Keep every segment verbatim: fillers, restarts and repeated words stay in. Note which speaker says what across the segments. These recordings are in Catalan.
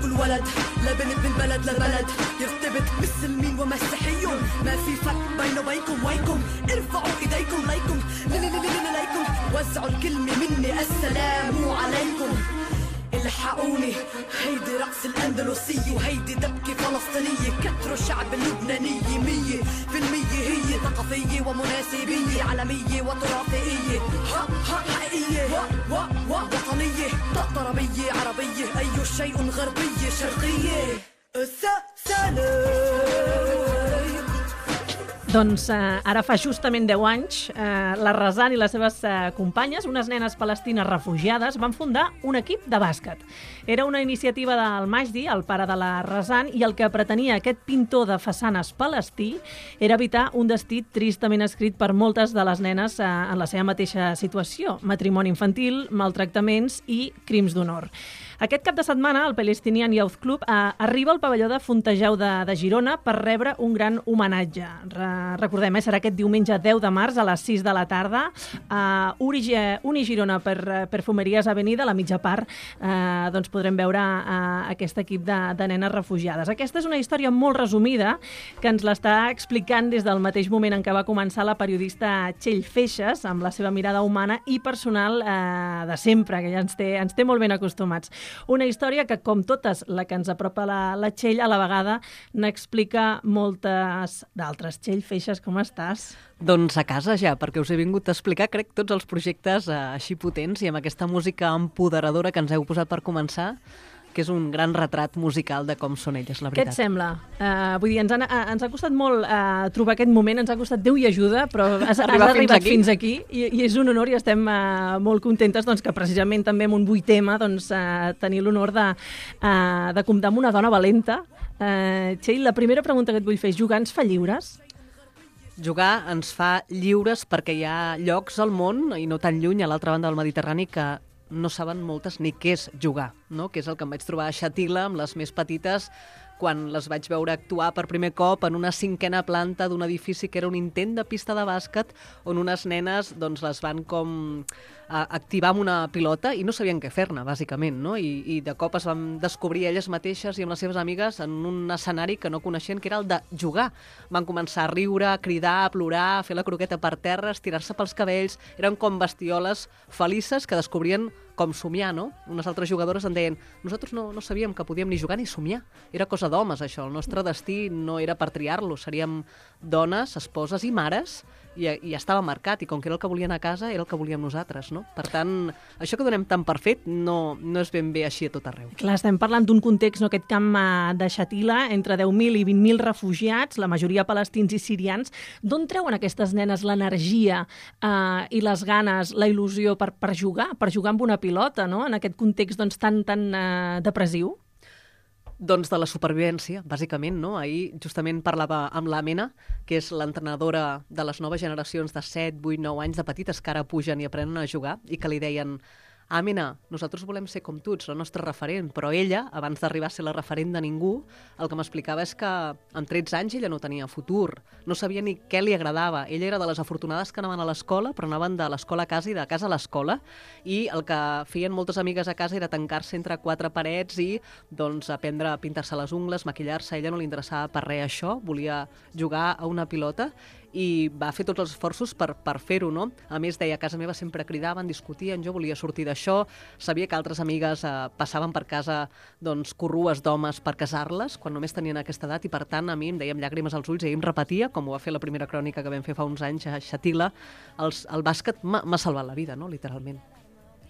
Speaker 1: كل ولد لبنت من بلد لبلد يرتبط مسلمين ومسيحيون ما في فرق بينه وبينكم وينكم ارفعوا ايديكم ليكم ليكم وزعوا الكلمة مني السلام عليكم الحقوني هيدي رقص الأندلسية وهيدي دبكة فلسطينية كتروا الشعب اللبنانية مية في المية هي ثقافية ومناسبية عالمية وتراثية ها ها حقيقية و و و وطنية طربية عربية أي شيء غربية شرقية السلام.
Speaker 2: Doncs eh, ara fa justament deu anys, eh, la Razan i les seves eh, companyes, unes nenes palestines refugiades, van fundar un equip de bàsquet. Era una iniciativa del Majdi, el pare de la Razan, i el que pretenia aquest pintor de façanes palestí era evitar un destí tristament escrit per moltes de les nenes eh, en la seva mateixa situació: matrimoni infantil, maltractaments i crims d'honor. Aquest cap de setmana, el Palestinian Youth Club eh, arriba al pavelló de Fontejau de, de Girona per rebre un gran homenatge. Re, recordem, eh, serà aquest diumenge deu de març a les sis de la tarda. Uh, Uri, Uni Girona per Perfumeries Avenida, a la mitja part, eh, doncs podrem veure uh, aquest equip de, de nenes refugiades. Aquesta és una història molt resumida que ens l'està explicant des del mateix moment en què va començar la periodista Txell Feixes, amb la seva mirada humana i personal eh, de sempre, que ja ens té, ens té molt ben acostumats. Una història que, com totes la que ens apropa la, la Txell, a la vegada n'explica moltes d'altres. Txell Feixes, com estàs?
Speaker 3: Doncs a casa ja, perquè us he vingut a explicar, crec, tots els projectes eh, així potents i amb aquesta música empoderadora que ens heu posat per començar, que és un gran retrat musical de com són elles, la veritat.
Speaker 2: Què et sembla? Uh, vull dir, ens, han, uh, ens ha costat molt uh, trobar aquest moment, ens ha costat Déu i ajuda, però has, has arribat fins aquí, fins aquí i, i és un honor i estem uh, molt contentes doncs, que precisament també amb un vuit tema doncs, uh, tenir l'honor de, uh, de comptar amb una dona valenta. Uh, Txell, la primera pregunta que et vull fer és: jugar ens fa lliures?
Speaker 3: Jugar ens fa lliures perquè hi ha llocs al món, i no tan lluny, a l'altra banda del Mediterrani, que no saben moltes ni què és jugar, no? Que és el que em vaig trobar a Xàtiva amb les més petites quan les vaig veure actuar per primer cop en una cinquena planta d'un edifici que era un intent de pista de bàsquet on unes nenes doncs, les van com a activar amb una pilota i no sabien què fer-ne, bàsicament, no? I, i de cop es van descobrir elles mateixes i amb les seves amigues en un escenari que no coneixien, que era el de jugar. Van començar a riure, a cridar, a plorar, a fer la croqueta per terra, a estirar-se pels cabells. Eren com bestioles felices que descobrien com somiar, no? Unes altres jugadores en deien: nosaltres no, no sabíem que podíem ni jugar ni somiar. Era cosa d'homes, això. El nostre destí no era per triar-lo. Seríem dones, esposes i mares, i, i estava marcat, i com que era el que volien a casa, era el que volíem nosaltres, no? Per tant, això que donem tan per fet no, no és ben bé així a tot arreu.
Speaker 2: Clar, estem parlant d'un context, no, aquest camp de Xàtiva, entre deu mil i vint mil refugiats, la majoria palestins i sirians. D'on treuen aquestes nenes l'energia eh, i les ganes, la il·lusió per, per jugar, per jugar amb una pilota, no?, en aquest context doncs, tan, tan eh, depressiu?
Speaker 3: Doncs de la supervivència, bàsicament, no? Ahir justament parlava amb l'Amena, que és l'entrenadora de les noves generacions de set, vuit, nou anys de petites que ara pugen i aprenen a jugar, i que li deien: Amena, nosaltres volem ser com tu, ets la nostra referent, però ella, abans d'arribar a ser la referent de ningú, el que m'explicava és que amb tretze anys ella no tenia futur, no sabia ni què li agradava. Ella era de les afortunades que anaven a l'escola, però anaven de l'escola a casa i de casa a l'escola, i el que feien moltes amigues a casa era tancar-se entre quatre parets i doncs, aprendre a pintar-se les ungles, maquillar-se. A ella no li interessava per res això, volia jugar a una pilota, i va fer tots els esforços per, per fer-ho, no? A més, deia, a casa meva sempre cridaven, discutien, jo volia sortir d'això, sabia que altres amigues eh, passaven per casa doncs, corrues d'homes per casar-les, quan només tenien aquesta edat, i per tant a mi em deia amb llàgrimes als ulls, i ell em repetia, com ho va fer la primera crònica que vam fer fa uns anys a Xàtiva, els, el bàsquet m'ha salvat la vida, no?, literalment.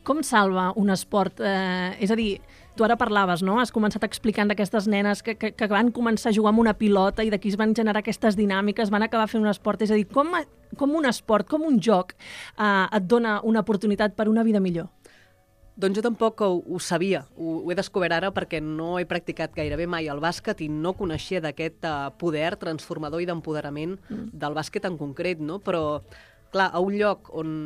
Speaker 2: Com salva un esport? Eh, és a dir, tu ara parlaves, no? Has començat explicant d'aquestes nenes que, que, que van començar a jugar amb una pilota i d'aquí es van generar aquestes dinàmiques, van acabar fent un esport. És a dir, com, com un esport, com un joc eh, et dona una oportunitat per una vida millor?
Speaker 3: Doncs jo tampoc ho, ho sabia, ho, ho he descobert ara perquè no he practicat gairebé mai el bàsquet i no coneixia d'aquest uh, poder transformador i d'empoderament mm. del bàsquet en concret, no? Però, clar, a un lloc on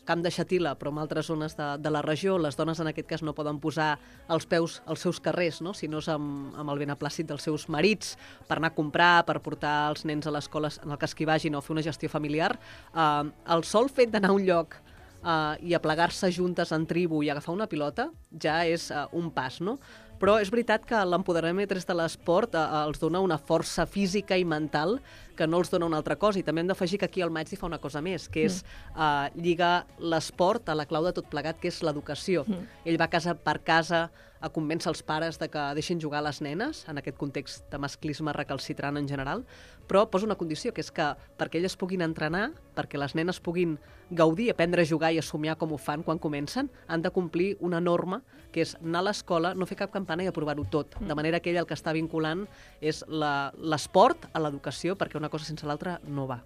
Speaker 3: Camp de Xàtiva, però en altres zones de, de la regió, les dones en aquest cas no poden posar els peus als seus carrers, no? Sinó és amb, amb el beneplàcit dels seus marits per anar a comprar, per portar els nens a l'escola en el cas que hi vagin o fer una gestió familiar. Uh, el sol fet d'anar a un lloc uh, i aplegar-se juntes en tribu i agafar una pilota ja és uh, un pas, no? Però és veritat que l'empoderament des de l'esport eh, els dona una força física i mental que no els dona una altra cosa. I també hem d'afegir que aquí el Magdi fa una cosa més, que és eh, lligar l'esport a la clau de tot plegat, que és l'educació. Mm. Ell va casa per casa a convèncer els pares de que deixin jugar les nenes, en aquest context de masclisme recalcitrant en general, però posa una condició, que és que perquè elles puguin entrenar, perquè les nenes puguin gaudir, aprendre a jugar i a somiar com ho fan quan comencen, han de complir una norma, que és anar a l'escola, no fer cap campana i aprovar-ho tot. De manera que ell el que està vinculant és l'esport a l'educació, perquè una cosa sense l'altra no va.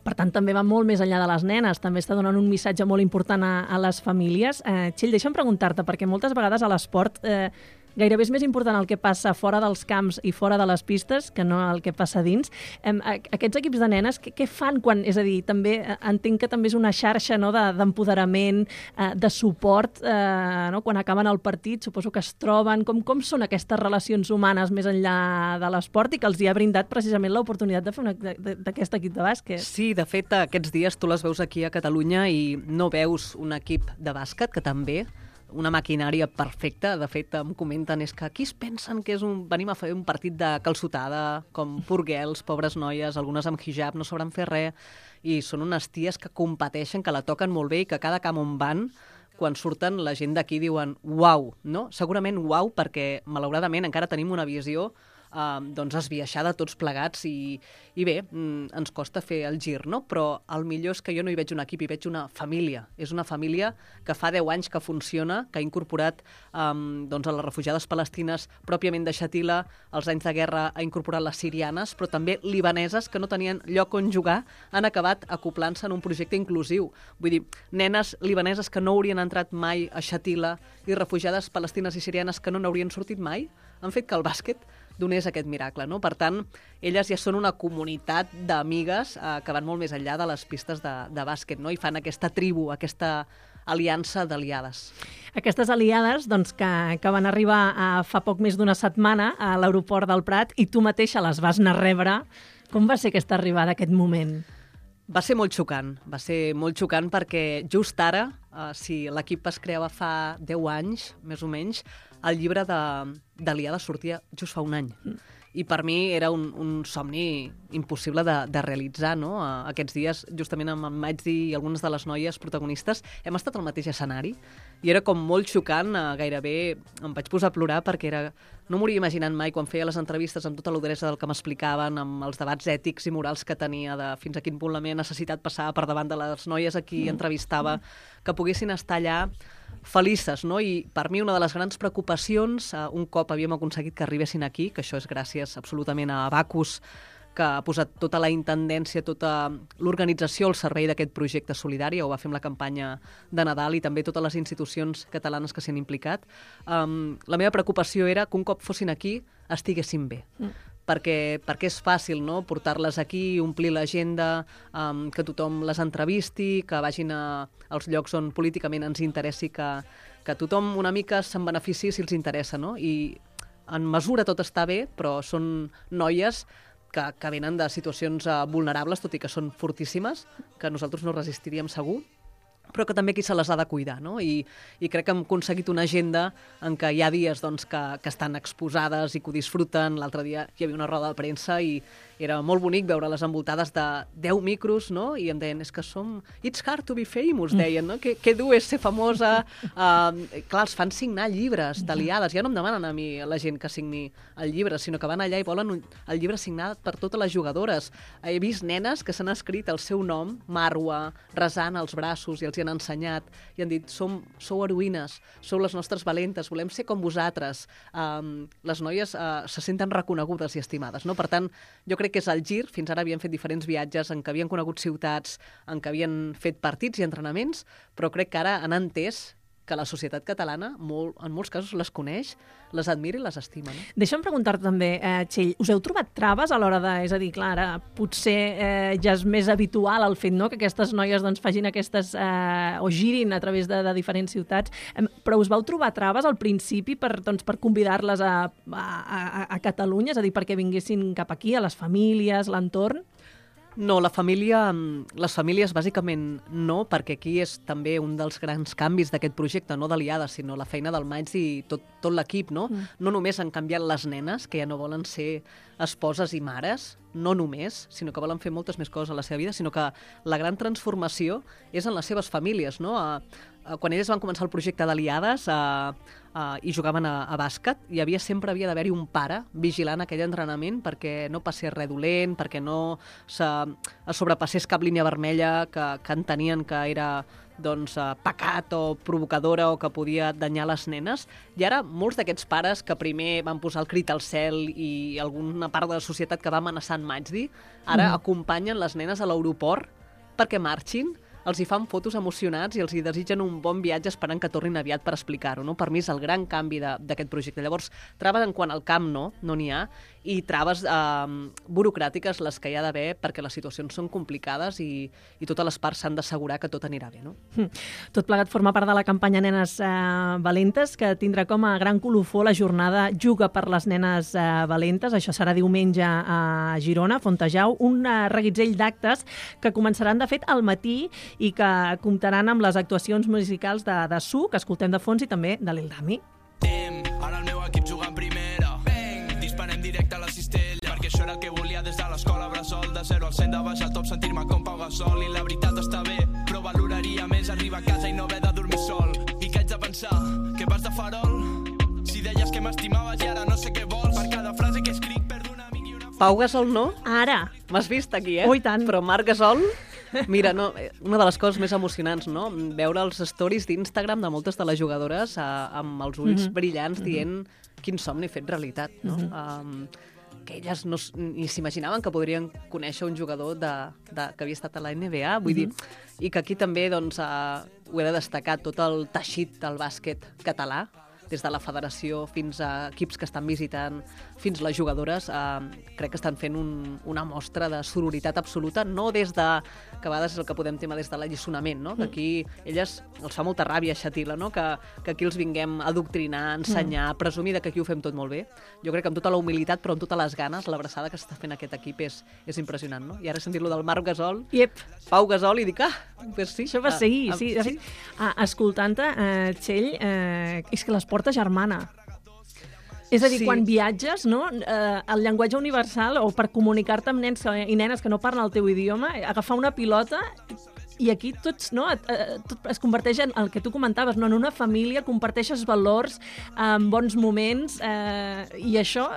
Speaker 2: Per tant, també va molt més enllà de les nenes, també està donant un missatge molt important a, a les famílies. Eh, Txell, deixa'm preguntar-te, perquè moltes vegades a l'esport eh, gairebé és més important el que passa fora dels camps i fora de les pistes que no el que passa dins. Eh, aquests equips de nenes, què, què fan quan... És a dir, també entenc que també és una xarxa, no, d'empoderament, eh, de suport, eh, no, quan acaben el partit, suposo que es troben. Com, com són aquestes relacions humanes més enllà de l'esport i que els hi ha brindat precisament l'oportunitat de fer una, d'aquest equip de bàsquet?
Speaker 3: Sí, de fet, aquests dies tu les veus aquí a Catalunya i no veus un equip de bàsquet, que també una maquinària perfecta. De fet, em comenten és que aquí es pensen que és un, venim a fer un partit de calçotada, com purguels, pobres noies, algunes amb hijab, no sabran fer res, i són unes ties que competeixen, que la toquen molt bé i que cada camp on van, quan surten, la gent d'aquí diuen uau, no? Segurament uau, perquè malauradament encara tenim una visió Uh, doncs esbiaixada tots plegats i, i bé, mm, ens costa fer el gir, no? Però el millor és que jo no hi veig un equip, hi veig una família. És una família que fa deu anys que funciona, que ha incorporat um, doncs a les refugiades palestines pròpiament de Shatila, als anys de guerra ha incorporat les sirianes, però també libaneses que no tenien lloc on jugar, han acabat acoplant-se en un projecte inclusiu. Vull dir, nenes libaneses que no haurien entrat mai a Shatila i refugiades palestines i sirianes que no n'haurien sortit mai, han fet que el bàsquet donés aquest miracle, no? Per tant, elles ja són una comunitat d'amigues eh, que van molt més enllà de les pistes de, de bàsquet, no? I fan aquesta tribu, aquesta aliança d'aliades.
Speaker 2: Aquestes aliades doncs, que, que van arribar a, fa poc més d'una setmana a l'aeroport del Prat i tu mateixa les vas anar a rebre. Com va ser aquesta arribada, aquest moment?
Speaker 3: Va ser molt xocant, va ser molt xocant perquè just ara, eh, si l'equip es creava fa deu anys, més o menys, el llibre d'Aliada sortia just fa un any. Mm. I per mi era un, un somni impossible de, de realitzar, no? Aquests dies, justament amb en Magdi i algunes de les noies protagonistes, hem estat al mateix escenari i era com molt xocant, gairebé em vaig posar a plorar perquè era... No m'ho hauria imaginat mai quan feia les entrevistes amb tota l'udresa del que m'explicaven, amb els debats ètics i morals que tenia, de fins a quin punt la meva necessitat passava per davant de les noies a qui entrevistava, que poguessin estar allà felices, no? I per mi una de les grans preocupacions, uh, un cop havíem aconseguit que arribessin aquí, que això és gràcies absolutament a Abacus, que ha posat tota la intendència, tota l'organització al servei d'aquest projecte solidari, ho va fer amb la campanya de Nadal i també totes les institucions catalanes que s'hi han implicat. Um, la meva preocupació era que un cop fossin aquí estiguessin bé. Mm. Perquè, perquè és fàcil, no?, portar-les aquí, omplir l'agenda, um, que tothom les entrevisti, que vagin a, als llocs on políticament ens interessi, que, que tothom una mica se'n benefici si els interessa, no? I en mesura tot està bé, però són noies que, que venen de situacions uh, vulnerables, tot i que són fortíssimes, que nosaltres no resistiríem segur, però que també qui se les ha de cuidar, no? I, i crec que hem aconseguit una agenda en què hi ha dies doncs, que, que estan exposades i que ho disfruten. L'altre dia hi havia una roda de premsa i era molt bonic veure-les envoltades de deu micros, no? I em deien, és que som... It's hard to be famous, deien, no? Que, que dur és ser famosa. Uh, clar, els fan signar llibres d'aliades. Ja no em demanen a mi, a la gent, que signi el llibre, sinó que van allà i volen un, el llibre signat per totes les jugadores. He vist nenes que s'han escrit el seu nom, Marwa, resant als braços, i els hi han ensenyat, i han dit, som, sou heroïnes, sou les nostres valentes, volem ser com vosaltres. Um, les noies uh, se senten reconegudes i estimades, no? Per tant, jo crec que és el gir. Fins ara havien fet diferents viatges en què havien conegut ciutats, en què havien fet partits i entrenaments, però crec que ara han entès que la societat catalana, molt, en molts casos, les coneix, les admira i les estima. No?
Speaker 2: Deixa'm preguntar-te també, eh, Txell, us heu trobat traves a l'hora de... És a dir, clar, ara potser eh, ja és més habitual el fet, no?, que aquestes noies doncs, facin aquestes... Eh, o girin a través de, de diferents ciutats, eh, però us vau trobar traves al principi per, doncs, per convidar-les a, a, a, a Catalunya, és a dir, perquè vinguessin cap aquí, a les famílies, l'entorn?
Speaker 3: No, la família, les famílies bàsicament no, perquè aquí és també un dels grans canvis d'aquest projecte, no d'Aliada, sinó la feina del Maig i tot, tot l'equip, no? Mm. No només han canviat les nenes, que ja no volen ser esposes i mares, no només, sinó que volen fer moltes més coses a la seva vida, sinó que la gran transformació és en les seves famílies, no? A, a, quan elles van començar el projecte d'Aliades a, a, i jugaven a, a bàsquet, hi havia sempre havia d'haver-hi un pare vigilant aquell entrenament perquè no passés res dolent, perquè no se, es sobrepassés cap línia vermella que, que entenien que era doncs, eh, pecat o provocadora o que podia danyar les nenes. I ara molts d'aquests pares que primer van posar el crit al cel i alguna part de la societat que va amenaçar en Majdi, ara mm. acompanyen les nenes a l'aeroport perquè marxin, els hi fan fotos emocionats i els hi desitgen un bon viatge esperant que tornin aviat per explicar-ho. No? Per mi és el gran canvi d'aquest projecte. Llavors, traves en quant al camp no, no n'hi ha, i traves eh, burocràtiques les que hi ha d'haver perquè les situacions són complicades i, i totes les parts s'han d'assegurar que tot anirà bé. No?
Speaker 2: Tot plegat forma part de la campanya Nenes eh, Valentes, que tindrà com a gran colofó la jornada Juga per les nenes eh, valentes. Això serà diumenge a Girona, Fontejau, un eh, reguitzell d'actes que començaran, de fet, al matí i que comptaran amb les actuacions musicals de, de Su, que escoltem de fons, i també de l'Ildami.
Speaker 4: Ara el meu equip juga en primera. Bang! Disparem directe a la cistella, perquè això era el que volia des de l'escola bressol. De zero al cent de baix al top, sentir-me com Pau Gasol. I la veritat està bé, però valoraria més arribar a casa i no haver de dormir sol. I que haig de pensar, que vas de farol? Si deies que m'estimaves i ara no sé què vols. Per cada frase que escric perdo un amic i una...
Speaker 3: Pau Gasol no?
Speaker 2: Ara!
Speaker 3: M'has vist aquí, eh?
Speaker 2: Oh, i tant.
Speaker 3: Però Marc Gasol... Mira, no, una de les coses més emocionants, no? Veure els stories d'Instagram de moltes de les jugadores eh, amb els ulls mm-hmm. brillants dient quin somni fet realitat, no? Mm-hmm. Um, que elles no, ni s'imaginaven que podrien conèixer un jugador de, de, que havia estat a la N B A, vull mm-hmm. dir, i que aquí també doncs, uh, ho he de destacar, tot el teixit del bàsquet català, des de la federació fins a equips que estan visitant, fins les jugadores, eh, crec que estan fent un, una mostra de sororitat absoluta, no des de, que a vegades és el que podem tema des de l'alliçonament, no? Que aquí elles els fa molta ràbia, Xatila, no? que, que aquí els vinguem a adoctrinar, ensenyar, mm. presumir que aquí ho fem tot molt bé. Jo crec que amb tota la humilitat, però amb totes les ganes, l'abraçada que s'està fent aquest equip és, és impressionant, no? I ara he sentit lo del Marc Gasol,
Speaker 2: yep.
Speaker 3: Pau Gasol, i dic, ah, pues sí.
Speaker 2: Això va seguir,
Speaker 3: ah,
Speaker 2: sí.
Speaker 3: ah,
Speaker 2: sí. Ah, escoltant-te, eh, Txell, eh, és que l'esport és germana. És a dir, sí. Quan viatges, no, eh, el llenguatge universal, o per comunicar-te amb nens i nenes que no parlen el teu idioma, agafar una pilota i aquí tots, no, tot es converteix en el que tu comentaves, no, en una família, comparteixes valors, eh, bons moments, eh, i això...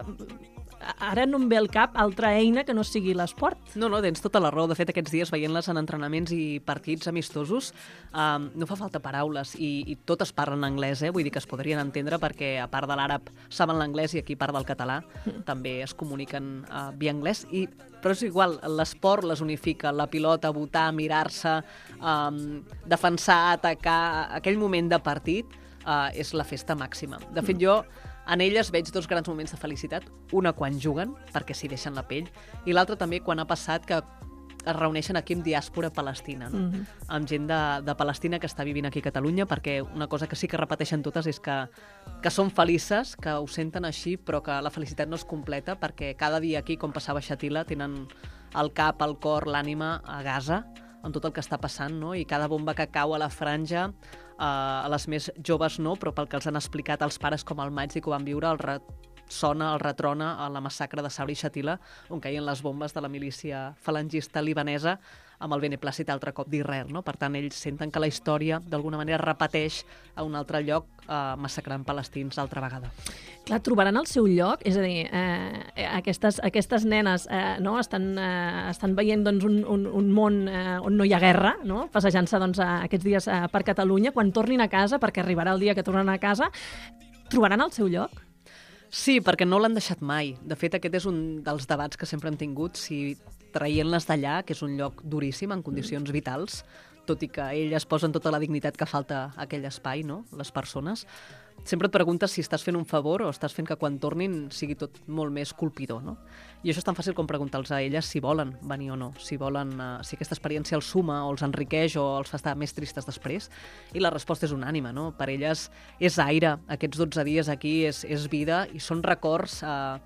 Speaker 2: Ara no em ve al cap altra eina que no sigui l'esport.
Speaker 3: No, no, tens tota la raó. De fet, aquests dies veient-les en entrenaments i partits amistosos, um, no fa falta paraules i, i totes parlen anglès, eh? Vull dir que es podrien entendre perquè, a part de l'àrab, saben l'anglès i aquí, a part del català, mm. també es comuniquen uh, via anglès. I, però és igual, l'esport les unifica, la pilota, votar, mirar-se, um, defensar, atacar, aquell moment de partit uh, és la festa màxima. De fet, jo... En elles veig dos grans moments de felicitat. Una quan juguen, perquè s'hi deixen la pell, i l'altra també quan ha passat que es reuneixen aquí amb diàspora palestina, no? Mm-hmm. Amb gent de, de Palestina que està vivint aquí a Catalunya, perquè una cosa que sí que repeteixen totes és que, que són felices, que ho senten així, però que la felicitat no es completa, perquè cada dia aquí, com passava Xatila, tenen el cap, el cor, l'ànima a Gaza, amb tot el que està passant, no? I cada bomba que cau a la franja, uh, a les més joves no, però pel que els han explicat els pares com el Maig i que ho van viure, el ressona, el retrona a la massacre de Sabra i Xatila, on caien les bombes de la milícia falangista libanesa amb el beneplàcit altre cop d'Israel, no? Per tant, ells senten que la història d'alguna manera repeteix a un altre lloc, eh, massacrant palestins altra vegada.
Speaker 2: Clar, trobaran el seu lloc? És a dir, eh, aquestes, aquestes nenes eh, no? estan, eh, estan veient doncs, un, un, un món eh, on no hi ha guerra, no? Passejant-se doncs, aquests dies eh, per Catalunya, quan tornin a casa, perquè arribarà el dia que tornen a casa, trobaran el seu lloc?
Speaker 3: Sí, perquè no l'han deixat mai. De fet, aquest és un dels debats que sempre hem tingut, si traient-les d'allà, que és un lloc duríssim, en condicions vitals, tot i que elles posen tota la dignitat que falta a aquell espai, no? Les persones. Sempre et preguntes si estàs fent un favor o estàs fent que quan tornin sigui tot molt més colpidor, no? I això és tan fàcil com preguntar-los a elles si volen venir o no, si volen, uh, si aquesta experiència els suma o els enriqueix o els fa estar més tristes després. I la resposta és unànime, no? Per elles és aire, aquests dotze dies aquí és, és vida i són records uh,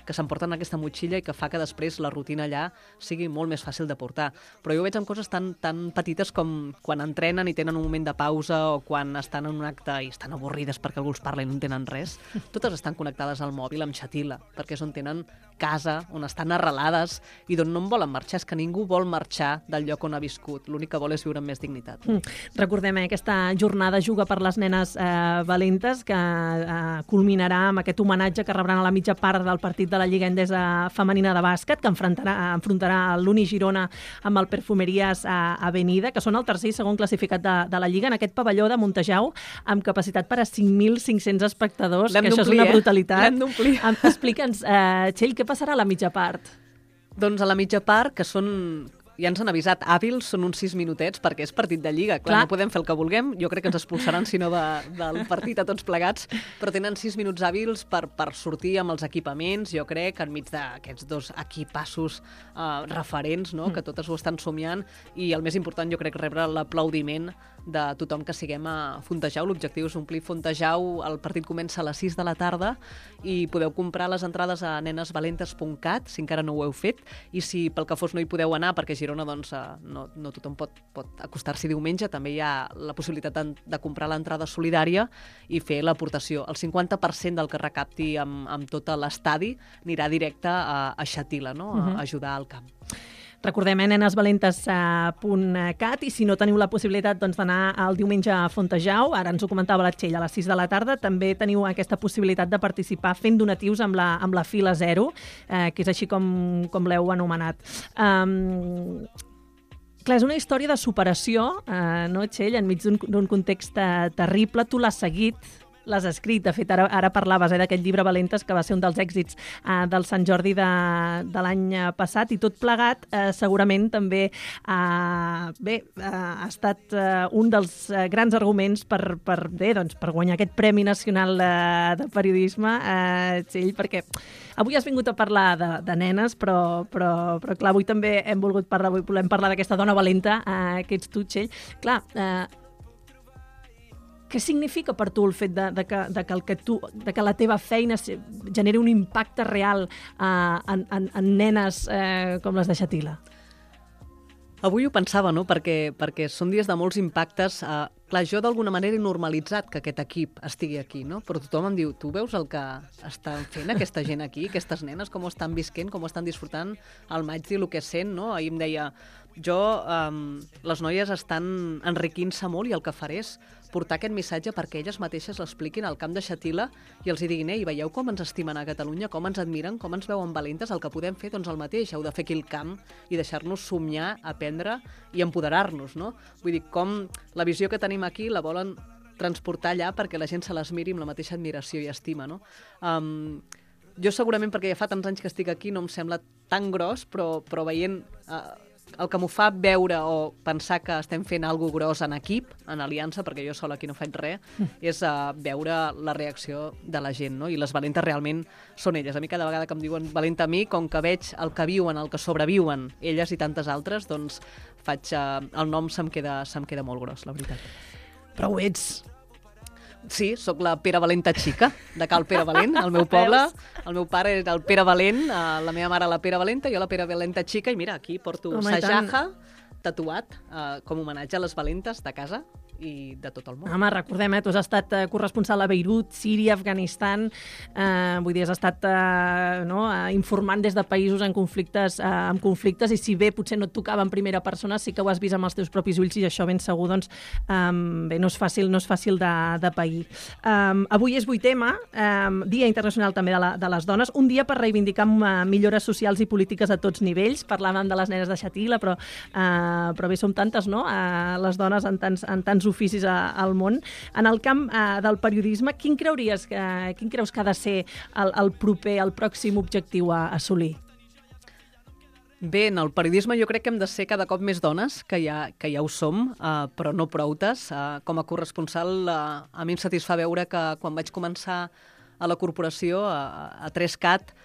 Speaker 3: que s'emporten aquesta motxilla i que fa que després la rutina allà sigui molt més fàcil de portar. Però jo ho veig amb coses tan, tan petites com quan entrenen i tenen un moment de pausa o quan estan en un acte i estan avorrides perquè algú els parla i no entenen res. Totes estan connectades al mòbil amb xatila, perquè és on tenen casa, on estan arrelades i d'on no en volen marxar. És que ningú vol marxar del lloc on ha viscut. L'únic que vol és viure amb més dignitat.
Speaker 2: Mm. Recordem, eh, aquesta jornada Juga per les nenes eh, valentes, que eh, culminarà amb aquest homenatge que rebran a la mitja part del partit de la Lliga Endesa Femenina de Bàsquet, que enfrontarà, enfrontarà l'Uni Girona amb el Perfumeries a Avenida, que són el tercer i segon classificat de, de la Lliga, en aquest pavelló de Montejau, amb capacitat per a cinc mil cinc-cents espectadors, que això és una brutalitat.
Speaker 3: L'hem d'omplir.
Speaker 2: Explica'ns, eh, Txell, què passarà a la mitja part?
Speaker 3: Doncs a la mitja part, que són... Ja ens han avisat, hàbils són uns sis minutets perquè és partit de Lliga. Clar, Clar. No podem fer el que vulguem. Jo crec que ens expulsaran, si no, de, del partit a tots plegats. Però tenen sis minuts hàbils per, per sortir amb els equipaments, jo crec, enmig d'aquests dos equipassos uh, referents, no? Mm. Que totes ho estan somiant. I el més important, jo crec, rebre l'aplaudiment de tothom que siguem a Fontejau. L'objectiu és omplir Fontejau. El partit comença a les sis de la tarda i podeu comprar les entrades a nenes valentes punt cat, si encara no ho heu fet. I si pel que fos no hi podeu anar, perquè Girona doncs, no, no tothom pot, pot acostar-s'hi diumenge, també hi ha la possibilitat de, de comprar l'entrada solidària i fer l'aportació. El cinquanta per cent del que recapti amb, amb tot l'estadi anirà directe a, a Xatila, no? A, a ajudar al camp.
Speaker 2: Recordem, eh, nenes valentes punt cat, i si no teniu la possibilitat doncs, d'anar el diumenge a Fontejau, ara ens ho comentava la Txell, a les sis de la tarda, també teniu aquesta possibilitat de participar fent donatius amb la, amb la fila zero, eh, que és així com, com l'heu anomenat. Um, clar, és una història de superació, eh, no, Txell, enmig d'un context terrible. Tu l'has seguit, l'has escrit. De fet, ara, ara parlaves eh, d'aquest llibre Valentes, que va ser un dels èxits eh, del Sant Jordi de, de l'any passat, i tot plegat eh, segurament també eh, bé, eh, ha estat eh, un dels eh, grans arguments per, per, bé, doncs, per guanyar aquest Premi Nacional de, de Periodisme, eh, Txell, perquè avui has vingut a parlar de, de nenes, però, però, però clar, avui també hem volgut parlar, avui volem parlar d'aquesta dona valenta eh, que ets tu, Txell. Clar, eh, què significa per tu el fet de, de, que, de, que, el que, tu, de que la teva feina generi un impacte real eh, en, en, en nenes eh, com les de Xatila?
Speaker 3: Avui ho pensava, no? Perquè, perquè són dies de molts impactes. Eh, clar, jo d'alguna manera he normalitzat que aquest equip estigui aquí, no? Però tothom em diu, tu veus el que estan fent aquesta gent aquí, aquestes nenes, com ho estan visquent, com ho estan disfrutant, el maig i el que sent, no? Ahir em deia, jo, eh, les noies estan enriquint-se molt i el que faré és portar aquest missatge perquè elles mateixes l'expliquin al camp de Xatila i els hi diguin, ei, veieu com ens estimen a Catalunya, com ens admiren, com ens veuen valentes, el que podem fer, doncs el mateix, heu de fer aquí el camp i deixar-nos somiar, aprendre i empoderar-nos, no? Vull dir, com la visió que tenim aquí la volen transportar allà perquè la gent se les miri amb la mateixa admiració i estima, no? Um, jo segurament, perquè ja fa tants anys que estic aquí, no em sembla tan gros, però, però veient... Uh, el que m'ho fa veure o pensar que estem fent alguna gros en equip, en aliança, perquè jo sola aquí no faig res, és uh, veure la reacció de la gent, no? I les valentes realment són elles. A mi cada vegada que em diuen valenta a mi, com que veig el que viuen, el que sobreviuen elles i tantes altres, doncs faig, uh, el nom se'm queda, se'm queda molt gros, la veritat.
Speaker 2: Però ho ets.
Speaker 3: Sí, sóc la Pere Valenta xica, de Cal Pere Valent, al meu poble. El meu pare era el Pere Valent, la meva mare la Pere Valenta, jo la Pere Valenta xica, i mira, aquí porto Sajaja tatuat uh, com homenatge a les valentes de casa i de tot el món.
Speaker 2: Home, recordem, eh, tu has estat eh, corresponsal a Beirut, Síria, Afganistan, eh, vull dir, has estat eh, no, eh, informant des de països en conflictes, eh, en conflictes, i si bé potser no et tocava en primera persona, sí que ho has vist amb els teus propis ulls, i això ben segur, doncs, eh, bé, no és fàcil, no és fàcil de, de pair. Eh, avui és vuit ema, eh, Dia Internacional també de, la, de les Dones, un dia per reivindicar eh, millores socials i polítiques a tots nivells. Parlàvem de les nenes de Xatila, però, eh, però bé, som tantes, no?, eh, les dones en tants, en tants oficis a, al món. En el camp eh, del periodisme, quin creuries que, quin creus que ha de ser el, el proper, el pròxim objectiu a assolir?
Speaker 3: Bé, en el periodisme jo crec que hem de ser cada cop més dones, que ja, que ja ho som, eh, però no proutes. Eh, com a corresponsal, eh, a mi em satisfà veure que quan vaig començar a la corporació, a, a tres cat,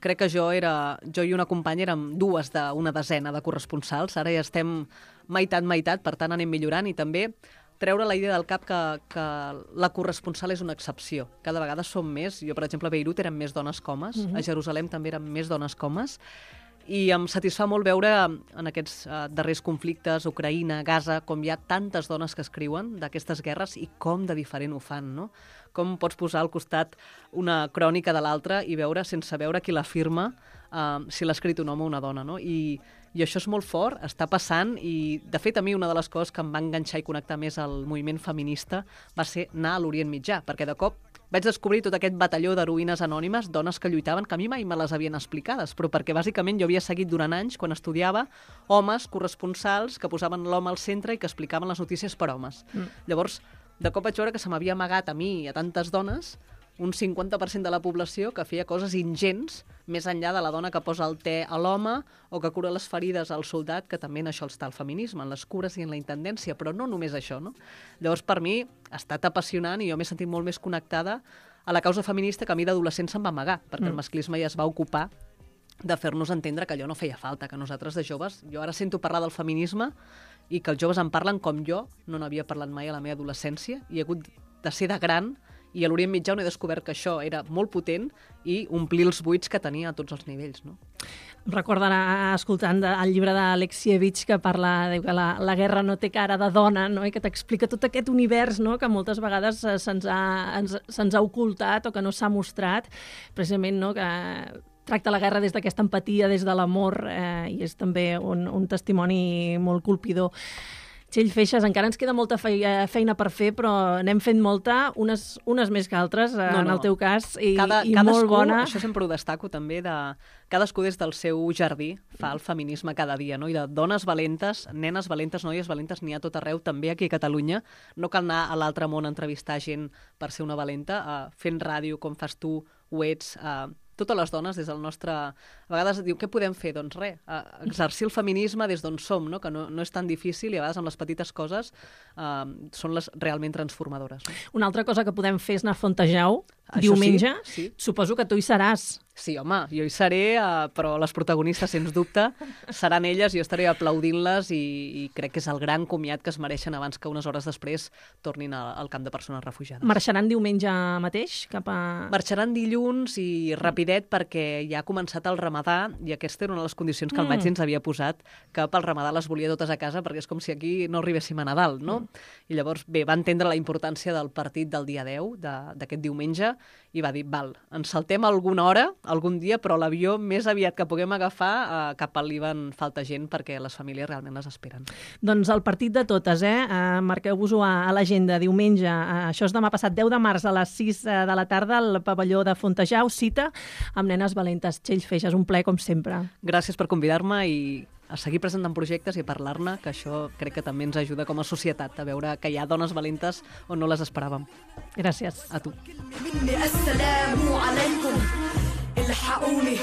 Speaker 3: crec que jo era, jo i una companya érem dues d'una desena de corresponsals, ara ja estem meitat, meitat, per tant anem millorant, i també treure la idea del cap que, que la corresponsal és una excepció. Cada vegada som més. Jo, per exemple, a Beirut eren més dones que homes, uh-huh. a Jerusalem també eren més dones que homes, i em satisfà molt veure en aquests uh, darrers conflictes, Ucraïna, Gaza, com hi ha tantes dones que escriuen d'aquestes guerres i com de diferent ho fan, no? Com pots posar al costat una crònica de l'altra i veure, sense veure qui la firma, uh, si l'ha escrit un home o una dona, no? I, I això és molt fort, està passant, i de fet a mi una de les coses que em va enganxar i connectar més al moviment feminista va ser anar a l'Orient Mitjà, perquè de cop vaig descobrir tot aquest batalló d'heroïnes anònimes, dones que lluitaven, que a mi mai me les havien explicades, però perquè bàsicament jo havia seguit durant anys, quan estudiava, homes corresponsals que posaven l'home al centre i que explicaven les notícies per homes. Mm. Llavors, de cop vaig veure que se m'havia amagat a mi i a tantes dones un cinquanta per cent de la població que feia coses ingents, més enllà de la dona que posa el te a l'home o que cura les ferides al soldat, que també en això està el feminisme, en les cures i en la intendència, però no només això, no? Llavors, per mi, ha estat apassionant i jo m'he sentit molt més connectada a la causa feminista que a mi d'adolescent se'm va amagar, perquè mm. el masclisme ja es va ocupar de fer-nos entendre que allò no feia falta, que nosaltres de joves, jo ara sento parlar del feminisme i que els joves en parlen com jo no n'havia parlat mai a la meva adolescència i he hagut de ser de gran. I a l'Orient Mitjà on he descobert que això era molt potent i omplir els buits que tenia a tots els nivells, no?
Speaker 2: Recordo anar escoltant el llibre d'Alexievich que parla de que la, la guerra no té cara de dona, no? I que t'explica tot aquest univers, no? Que moltes vegades se'ns ha, ens, se'ns ha ocultat o que no s'ha mostrat, precisament, no? Que tracta la guerra des d'aquesta empatia, des de l'amor, eh, i és també un, un testimoni molt colpidor. Txell Feixas, encara ens queda molta feina per fer, però n'hem fet molta, unes, unes més que altres, no, no. en el teu cas, i,
Speaker 3: Cada,
Speaker 2: i molt bona.
Speaker 3: Això sempre ho destaco també, de cadascú des del seu jardí fa el feminisme cada dia, no? I de dones valentes, nenes valentes, noies valentes, n'hi ha tot arreu, també aquí a Catalunya. No cal anar a l'altre món a entrevistar gent per ser una valenta, uh, fent ràdio com fas tu, ho ets, uh, totes les dones des del nostre... A vegades diu, què podem fer? Doncs res, exercir el feminisme des d'on som, no? Que no, no és tan difícil i a vegades amb les petites coses eh, són les realment transformadores. No?
Speaker 2: Una altra cosa que podem fer és anar a Fontejau,
Speaker 3: Això
Speaker 2: diumenge.
Speaker 3: Sí, sí.
Speaker 2: Suposo que tu hi seràs.
Speaker 3: Sí, home, jo hi seré, eh, però les protagonistes, sens dubte, seran elles, jo estaré aplaudint-les i, i crec que és el gran comiat que es mereixen abans que unes hores després tornin al, al camp de persones refugiades.
Speaker 2: Marxaran diumenge mateix? Cap a...
Speaker 3: Marxaran dilluns i rapidet perquè ja ha començat el Ramadà i aquesta era una de les condicions que el Maggi ens havia posat, que pel Ramadà les volia totes a casa perquè és com si aquí no arribéssim a Nadal, no? Mm. I llavors, bé, va entendre la importància del partit del dia deu, d'aquest diumenge, i va dir, val, ens saltem alguna hora, algun dia, però l'avió més aviat que puguem agafar eh, cap al Líban falta gent perquè les famílies realment les esperen.
Speaker 2: Doncs el partit de totes, eh? eh Marqueu-vos-ho a, a l'agenda, diumenge. Eh, això és demà passat, deu de març a les sis eh, de la tarda al pavelló de Fontejau, cita amb nenes valentes. Txell Feixas, un plaer com sempre.
Speaker 3: Gràcies per convidar-me i a seguir presentant projectes i a parlar-ne, que això crec que també ens ajuda com a societat a veure que hi ha dones valentes on no les esperàvem.
Speaker 2: Gràcies.
Speaker 3: A tu.
Speaker 1: الحقوني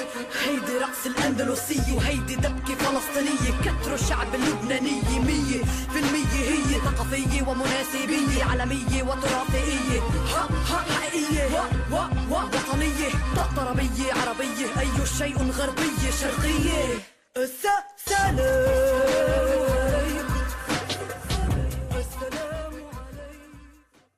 Speaker 1: هيدي رقص الأندلسية وهيدي دبكة فلسطينية كتروا الشعب اللبناني مية في المية هي ثقافية ومناسبية عالمية وتراثية ها ها حقيقية و و و وطنية طربية عربية أي شيء غربية شرقية